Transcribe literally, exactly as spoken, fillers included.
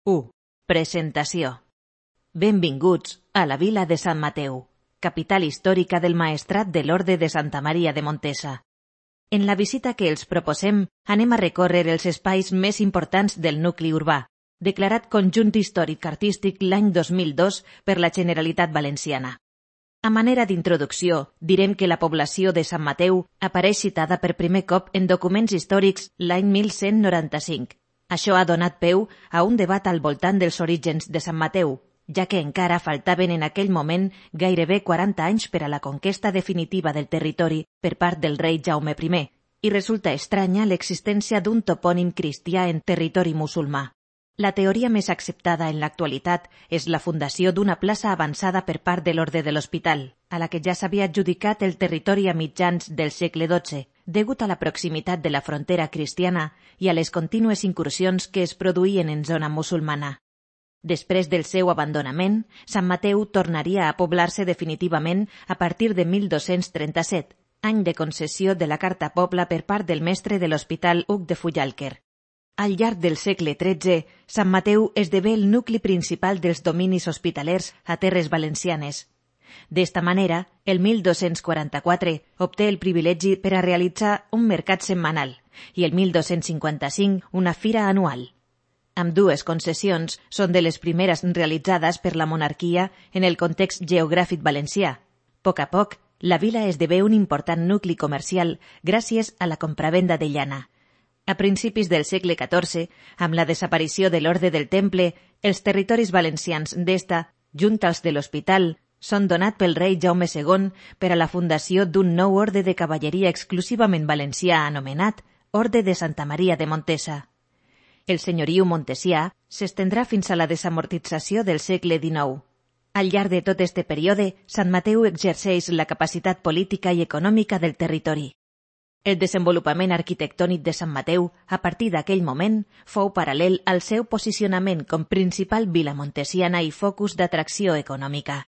u. Presentació. Benvinguts a la vila de Sant Mateu, capital històrica del Maestrat de l'Orde de Santa Maria de Montesa. En la visita que els proposem, anem a recórrer els espais més importants del nucli urbà, declarat Conjunt Històric-Artístic l'any dos mil dos per la Generalitat Valenciana. A manera d'introducció, direm que la població de Sant Mateu apareix citada per primer cop en documents històrics l'any mil cent noranta-cinc. Això ha donat peu a un debat al voltant dels orígens de Sant Mateu, ja que encara faltaven en aquell moment gairebé quaranta anys per a la conquesta definitiva del territori per part del rei Jaume primer, i resulta estranya l'existència d'un topònim cristià en territori musulmà. La teoria més acceptada en l'actualitat és la fundació d'una plaça avançada per part de l'Orde de l'Hospital, a la que ja s'havia adjudicat el territori a mitjans del segle dotze, degut a la proximitat de la frontera cristiana i a les contínues incursions que es produïen en zona musulmana. Després del seu abandonament, Sant Mateu tornaria a poblar-se definitivament a partir de mil dos-cents trenta-set, any de concessió de la Carta Pobla per part del mestre de l'Hospital Hug de Fullalquer. Al llarg del segle tretze, Sant Mateu esdevé el nucli principal dels dominis hospitalers a terres valencianes. D'esta manera, el mil dos-cents quaranta-quatre obté el privilegi per a realitzar un mercat setmanal i el mil dos-cents cinquanta-cinc una fira anual. Ambdues concessions són de les primeres realitzades per la monarquia en el context geogràfic valencià. A poc a poc, la vila esdevé un important nucli comercial gràcies a la compravenda de llana. A principis del segle catorze, amb la desaparició de l'Orde del Temple, els territoris valencians d'esta, junt als de l'Hospital, són donats pel rei Jaume segon per a la fundació d'un nou orde de cavalleria exclusivament valencià anomenat Orde de Santa Maria de Montesa. El senyoriu montesià s'estendrà fins a la desamortització del segle dinou. Al llarg de tot este període, Sant Mateu exerceix la capacitat política i econòmica del territori. El desenvolupament arquitectònic de Sant Mateu, a partir d'aquell moment, fou paral·lel al seu posicionament com principal vila montesiana i focus d'atracció econòmica.